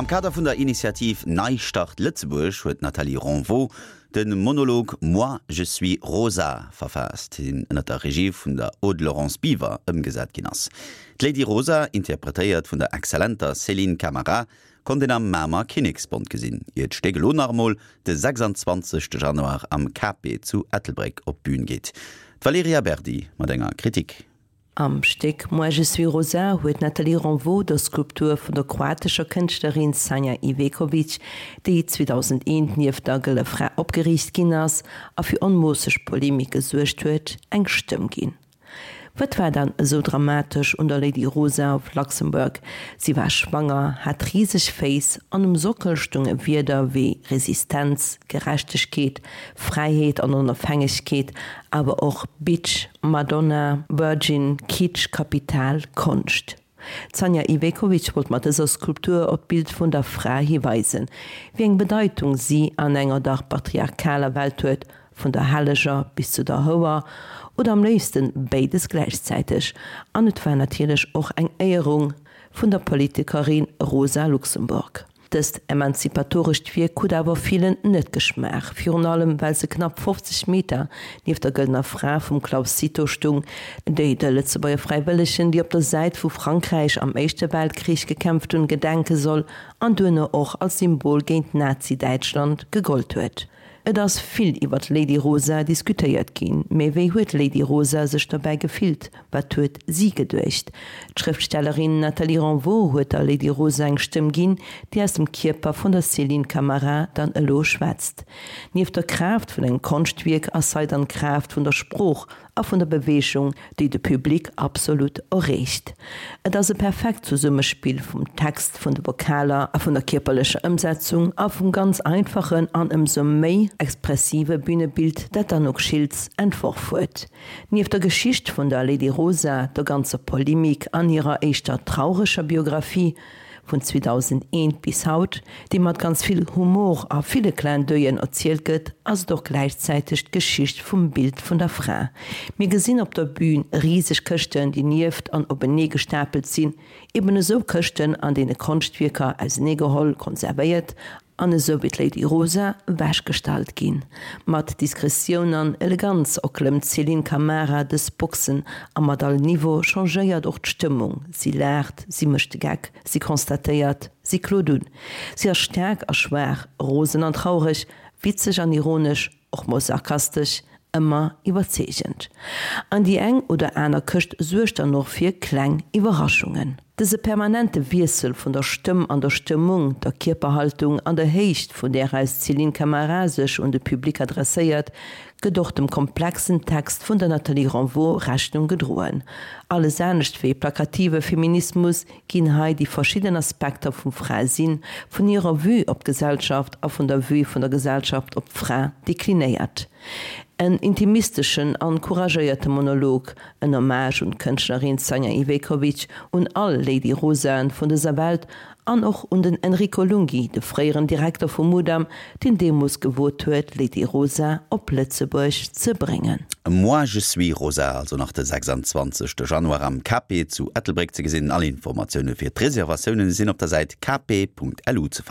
Am Kader vun der Initiativ Neistart Lëtzebuerg huet d'Nathalie Ronvaux de Monolog Moi, je suis Rosa verfaasst, deen ënner der Regie vun der Aude-Laurence Biver ëmgesat ginn ass. D'Lady Rosa, interpretéiert vun der exzellenter Céline Camara, konnt een am Mamer Kinneksbond gesinn, ier d'Stéck elo nach emol de 26 Januar am KP zu Ettelbréck op d'Bün geet. D'Valerija Berdi mat enger Kritik. Am Stéck Moi je suis Rosa huet d'Nathalie Ronvaux der Skulptur vun der kroatescher Kënschtlerin Sanja Iveković, déi 2001 nieft der Gëlle Fra opgeriicht ginn ass a fir onmoosseg Polemik gesuergt huet, eng Stëmm ginn. Wat war dann esou dramatesch un der Lady Rosa of Luxembourg? Si war schwanger, hat riseg Féiss an um Sockel stounge Wierder wéi Resistenz, Gerechtegkeet, Fräiheet an Onofhängegkeet, awer och Bitch, Madonna, Virgin, Kitsch, Kapital, Konscht. D'Sanja Ivekovic wollt mat dëser Skulptur op d'Bild vun der Fra hiweisen, wéi eng Bedeitung si an enger dach patriarchaler Welt huet, vun der Helleger bis zu der Houer, oder am léifsten béides gläichzäiteg. An et war natierlech och eng Éierung vun der Politikerin Rosa Luxemburg. Dëst emanzipatorescht Wierk huet awer villen net geschmaach, virun allem well se knapp 50 Meter nieft der Gëllener Fra vum Claus Cito stung, déi de Lëtzebuerger Fräiwëllegen, déi op der Säit vu Frankräich am Éischte Weltkrich gekämpft hunn, gedenke soll an duerno och als Symbol géint Nazi-Däitschland gegollt huet. Et ass vill iwwer d'Lady Rosa diskutéiert ginn, mee wéi huet d'Lady Rosa sech dobäi gefillt? Wat huet si geduecht? D'Schrëftstellerin Nathalie Renvaux huet der Lady Rosa eng Stëmm ginn, déi aus dem Kierper vun der Céline Camara dann elo schwätzt. Nieft der Kraaft vun engem Konschtwierk ass hei dann d'Kraaft vun der Sprooch a vun der Beweegung, déi de Public absolut erreecht. Et ass e perfekt Zesummespill vum Text, vun de Vokaler a vun der kierperlecher Ëmsetzung a vum ganz einfachen an ëmsou méi expressive Bünebild, dat d'Anouk Schiltz entworf huet. Nieft der Geschicht vun der Lady Rosa, der ganzer Polemik an hirer éischter traureger Biographie, vun 2001 bis haut, déi mat ganz vill Humor a ville Clin d'oeil'en erzielt gëtt, ass et och gläichzäiteg d'Geschicht vum Bild vun der Fra. Mir gesinn op der Bühn riseg Këschten, déi nieft an openee gestapelt sinn, eben esou Këschten, an deene Konschtwierker auseneegeholl, konservéiert an esou wéi d'Lady Rosa wechgestallt ginn. Mat Diskretioun an Eleganz erklëmmt d'Céline Camara dës Boxen a mat all Niveau changéiert och d'Stëmmung, si laacht, si mécht de Geck, si constatéiert, si klot un. Si ass staark a schwaach, rosen an traureg, witzeg an ironesch, och mol sarkastesch, ëmmer iwwerzeegend. An déi eng oder aner Këscht suergt dann och fir kleng Iwwerraschungen. Dëse permanente Wiessel vun der Stëmm an der Stëmmung, der Kierperhaltung an der Héicht, vun där aus d'Céline Camara sech un de Public adresséiert, gëtt och dem komplexen Text vun der Nathalie Renvaux Rechnung gedroen. Alles anescht wéi plakative Feminismus ginn hei déi verschidden Aspekter vum Fra-Sinn, vun hirer Vue op d'Gesellschaft a vun der Vue vun der Gesellschaft op d'Fra deklinéiert. En intimisteschen an couragéierte Monolog, en Hommage un d'Kënschtlerin Sanja Ivekovic, un all Lady Rosaen vun dëser Welt an och un den Enrico Lunghi, de fréieren Direkter vum Mudam, deen deemools gewot huet, Lady Rosa op Lëtzebuerg ze bréngen. Moi je suis Rosa, also nach de 26 Januar am KP zu Ettelbréck ze gesinn. All Informatioune fir d'Reservatioune sinn op der Säit kp.lu ze fannen.